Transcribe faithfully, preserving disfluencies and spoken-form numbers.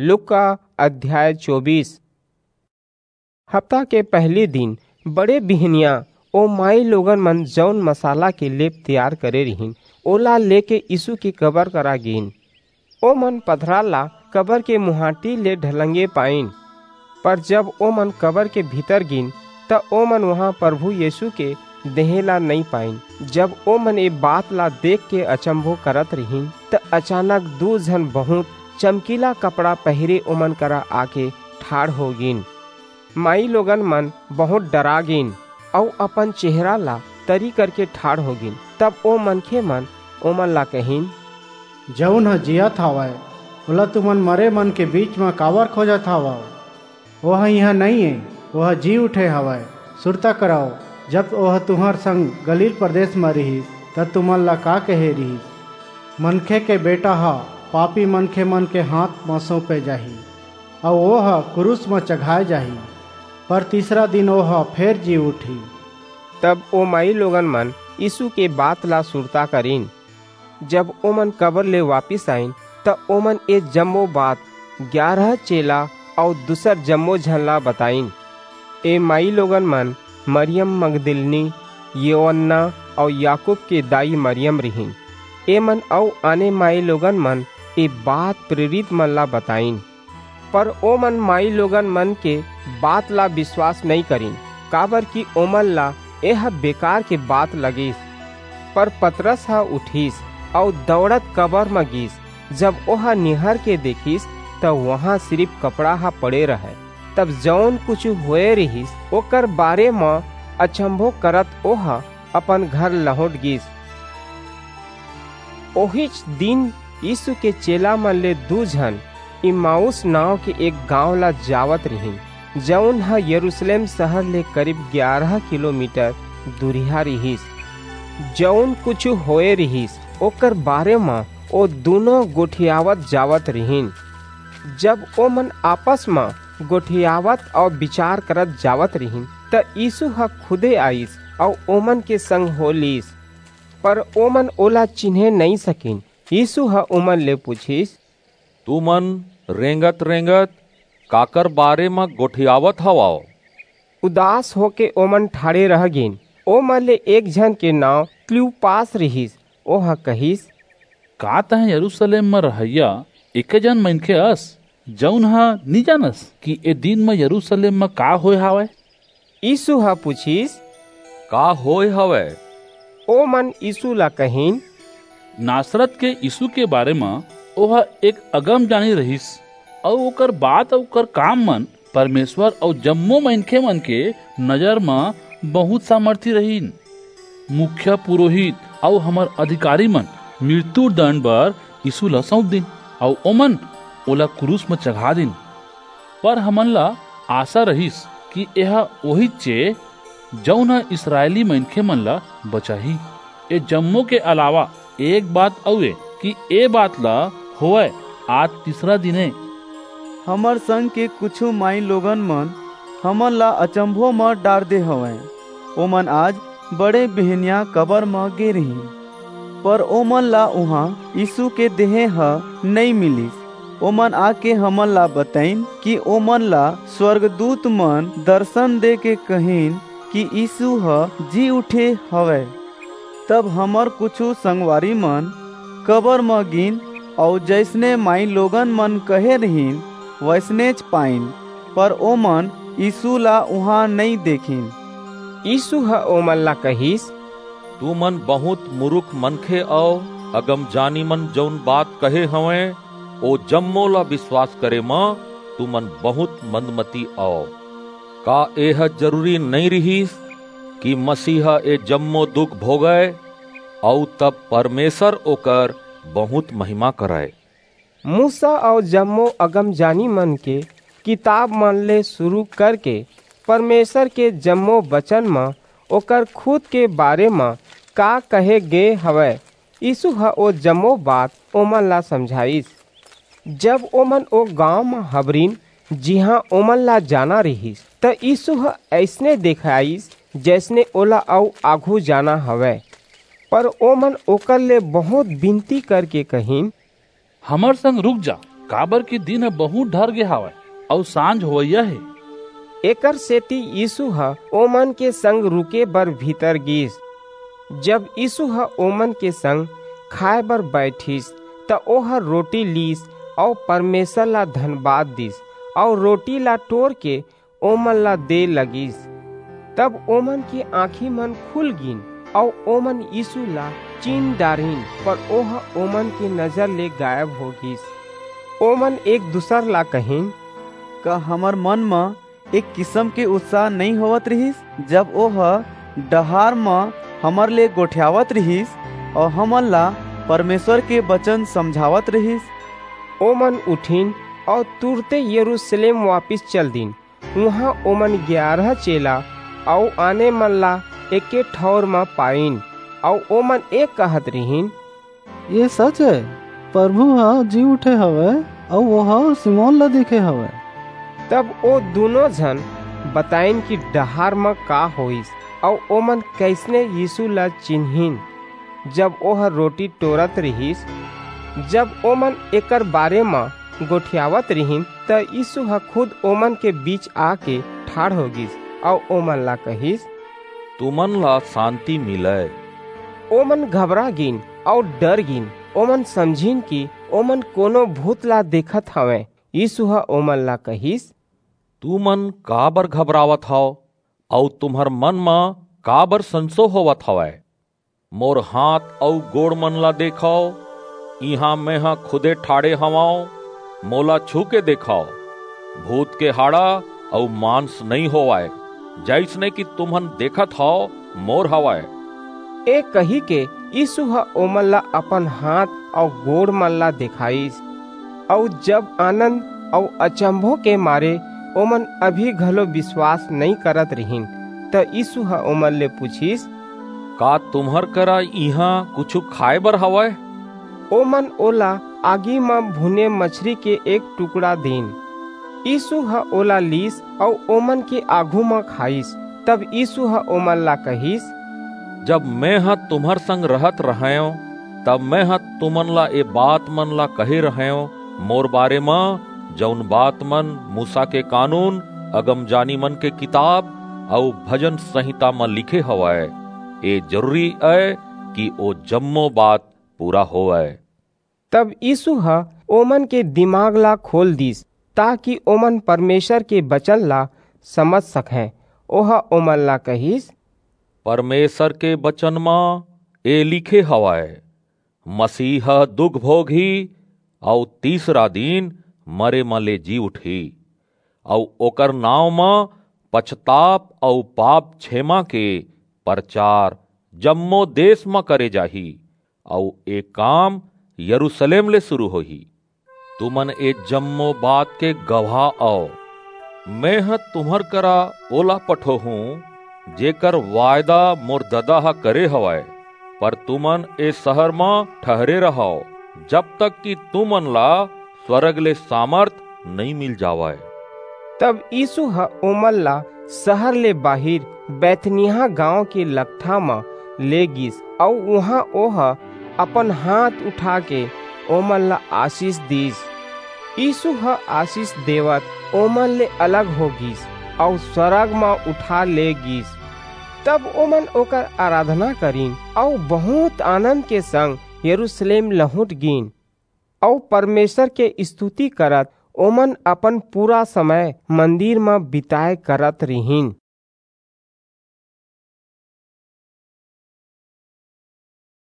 लूका अध्याय चौबीस। हफ्ता के पहली दिन बड़े बिहनिया ओ माई लोगन मन जौन मसाला के लेप तैयार करे रिहिन, ओला लेके यीशु के कबर करा गीन। ओमन पथरा ला कबर के मुहाटी ले ढलंगे पाइन, पर जब ओमन कबर के भीतर गीन, त ओमन वहां प्रभु यीशु के देहे ला नई पाइन। जब ओमन ए बात ला देख के अचंभो करत रिहिन, त अचानक दू झन बहुत चमकीला कपड़ा पहिरे ओमन करा आके ठाढ़ हो गीन। माई लोगन मन बहुत डरा गीन अऊ अपन चेहरा ला तरी करके ठाढ़ हो गीन। तब ओ मनखे मन ओमन ला कहिन, "जऊन ह जियत हावय, ओला तुमन मरे मन के बीच म काबर खोजत हावव? ओह इहां नइं ए, ओह जी उठे हवय। सुरता करव, जब ओह तुंहर संग गलील प्रदेस म रिहिस, त तुमन ला का कहे रिहिस, 'मनखे के बेटा ह पापी मनखे मन के हांथ म सौंपे जाही, अऊ ओह क्रूस म चघाय जाही, पर तीसरा दिन ओह फेर जी उठही।'" तब ओ माई लोगन मन यीसू के बात ला सुरता करिन। जब ओमन कबर ले वापिस आईन, त ओमन ए जम्मो बात ग्यारह चेला अऊ दूसर जम्मो झन ला बताईन। ए माई लोगन मन मरियम मगदलिनी, योअन्ना अऊ याकूब के दाई मरियम रिहिन। एमन अऊ आने माई लोगन मन ए बात प्रेरित मन ला बताईन। पर ओमन माई लोगन मन के बात ला बिसवास नइं करिन, काबरकि ओमन ला एह बेकार के बात लगिस। पर पतरस ह उठिस अऊ दऊड़त कबर म गीस। जब ओह निहर के देखिस, त उहां सिरिप कपड़ा ह पड़े रहय। तब जऊन कुछू होए रिहिस, ओकर बारे म अचंभो करत ओह अपन घर लहुंट गीस। ओहीच दिन यीसू के चेला मन ले दू झन इम्माऊस नांव के एक गांव ला जावत रिहिन, जऊन ह यरूसलेम सहर ले करीब ग्यारह किलोमीटर दूरिहा रिहिस। जऊन कुछू होए रिहिस, ओकर बारे म ओ दूनों गोठियावत जावत रिहिन। जब ओमन आपस म गोठियावत अऊ बिचार करत जावत रिहिन, त यीसू ह खुदे आईस अऊ ओमन के संग हो लीस। पर ओमन ओला चिन्हे नइं सकिन। यीसू ह ओमन ले पुछिस, "तुमन रेंगत-रेंगत काकर बारे म गोठियावत हवव?" उदास होके ओमन ठाढ़े रह गीन। ओमन ले एक झन के नांव क्लियोपास रिहिस। ओह कहिस, "का तंय यरूसलेम म रहइया एके जन मनखे अस, जऊन ह नी जानस कि ए दिन म यरूसलेम म का होय हावय?" यीसू ह पुछिस, "का होय हवय?" ओमन यीसू ला कहिन, "नासरत के यीसू के बारे म ओह एक अगमजानी रिहिस, अऊ ओकर बात अऊ ओकर काम मन परमेसर अऊ जम्मो मनखे मन के नजर म बहुंत सामर्थी रिहिन। मुखिया पुरोहित अऊ हमर अधिकारी मन मृत्यु दंड बर यीसू ला सऊंप दीन, अऊ ओमन ओला क्रूस म चघा दीन। पर हमन ला आसा रिहिस कि एह ओहीच ए, जऊन ह इसरायली मनखे मन ला बचाही। ए जम्मो के अलावा एक बात अऊ ए कि ए बात ला होवय, आज तीसरा दिन ए।" हमर संग के कुछू माई लोगन मन हमन ला अचंभो म डार दे हवंय। ओमन आज बड़े बिहनिया कबर म गे रिहिन, पर ओमन ला उहां यीसू के देहे ह नइं मिलिस। ओमन आके हमन ला बताईन कि ओमन ला स्वर्गदूत मन दरसन देके कहिन कि यीसू ह जी उठे हवय। तब हमर कुछू संगवारी मन कबर म गीन, अऊ जइसने माई लोगन मन कहे रिहिन, वइसनेच पाईन, पर ओमन यीसू ला उहां नइं देखिन। यीसू ह ओमन ला कहिस, "तुमन बहुंत मुरुख मनखे अव, अगमजानी मन जऊन बात कहे हवंय, ओ जम्मो ला बिसवास करे म तुमन बहुंत मंदमती अव। का एह जरूरी नइं रिहिस कि मसीह ए जम्मो दुख भोगय, अऊ तब परमेसर ओकर बहुंत महिमा करय?" मूसा अऊ जम्मो अगमजानी मन के किताब मन ले सुरू करके परमेसर के जम्मो बचन म ओकर खुद के बारे म का कहे गे हवय, यीसू ह ओ जम्मो बात ओमन ला समझाईस। जब ओमन ओ गांव म हबरिन, जिहां ओमन ला जाना रिहिस, त यीसू ह अइसने देखाईस, जइसने ओला अऊ आघू जाना हवय। पर ओमन ओकर ले बहुंत बिनती करके कहिन, "हमर संग रुक जा, काबर कि दिन ह बहुत ढर गे हावय, अऊ सांझ होवइया हे। एकर सेती यीसू ह ओमन के संग रुके बर भीतर गीस। जब यीसू ह ओमन के संग खाय बर बईठिस, त ओह रोटी लीस अऊ परमेसर ला धनबाद दीस, अऊ रोटी ला टोर के ओमन ला दे लगिस। तब ओमन के आंखी मन खुल गीन, अऊ ओमन यीसू ला चीन डारिन, पर ओह ओमन के नजर ले गायब हो गीस। ओमन एक दूसर ला कहिन, का हमर मन म एक किसम के उत्साह नइं होवत रिहिस, जब ओह डहार म हमर ले गोठियावत रिहिस अऊ हमन ला परमेसर के बचन समझावत रिहिस? ओमन उठिन अऊ तुरते यरूसलेम वापिस चल दीन। उहां ओमन ग्यारह चेला अऊ आने मन ला एके ठऊर म पाईन, अऊ ओमन ए कहत रिहिन, ये सच हे, परभू ह जी उठे हवय, अऊ ओह सिमोन ला दिखे हवय। तब ओ दूनों झन बताईन कि डहार म का होईस, अऊ ओमन कइसने यीसू ला चिन्हिन, जब ओह रोटी टोरत रिहिस। जब ओमन एकर बारे म गोठियावत रिहिन, त यीसू ह खुद ओमन के बीच आके ठाढ़ हो गीस, अऊ ओमन ला कहिस, तुमन ला सांति मिलय। ओमन घबरा गीन अऊ डर गीन। ओमन समझिन कि ओमन कोनो भूत ला देखत हवंय। यीसू ह ओमन ला कहिस, तुमन काबर घबरावत हव, अऊ तुम्हर मन म काबर संसो होवत हवय? मोर हाथ अऊ गोड़ मन ला देखव, इहां मेंह खुदे ठाढ़े हवंव, मोला छू के देखव। भूत के हाड़ा अऊ मांस नइं होवय, जइसने कि तुमन देखत हव, मोर हवय। ए कहिके यीसू ह ओमन ला अपन हाथ अऊ गोड़ मन ला देखाईस। अऊ जब आनंद अऊ अचंभो के मारे ओमन अभी घलो बिसवास नइं करत रिहिन, त यीसू ह ओमन ले पुछिस, का तुम्हर करा इहां कुछू खाय बर हवय? ओमन ओला आगी म भुने मछरी के एक टुकड़ा दीन। यीसू ह ओला लीस अऊ ओमन के आघू म खाईस। तब यीसू ह ओमन ला कहिस, जब मेंह तुम्हर संग रहत रहंव, तब मेंह तुमन ला ए बात मन ला कहे रहंव, मोर बारे म, जऊन बात मन मूसा के कानून, अगमजानी मन के किताब अऊ भजन संहिता म लिखे हवय। ए जरूरी अय कि ओ जम्मो बात पूरा होवय। तब यीसू ह ओमन के दिमाग ला खोल दीस, ताकि ओमन परमेसर के बचन ला समझ सकंय। ओह ओमन ला कहिस, परमेसर के बचन म ए लिखे हवय, मसीह ह दुख भोगही अऊ तीसरा दिन मरे म ले जी उठही, अऊ ओकर नांव म पछताप अऊ पाप छेमा के परचार जम्मो देस म करे जाही, अऊ ए काम यरूसलेम ले सुरू होही। तुमन ए जम्मो बात के गवाह अव। मेंह तुम्हर करा ओला पठोहूं, जेकर वायदा मोर ददा ह करे हवय, पर तुमन ए सहर म ठहरे रहव, जब तक कि तुमन ला स्‍वरग ले सामर्थ नइं मिल जावय। तब यीसू ह ओमन ला सहर ले बाहिर बैतनिय्याह गांव के लकठा म ले गीस, अऊ उहां ओह अपन हाथ उठाके ओमन ला आसीस दीस। यीसू ह आसीस देवत ओमन ले अलग हो गीस, अऊ स्‍वरग म उठा ले गीस। तब ओमन ओकर अराधना करिन, अऊ बहुंत आनंद के संग यरूसलेम लहुंट गीन, अऊ परमेसर के इस्तुति करत ओमन अपन पूरा समय मंदिर म बिताय करत रिहिन।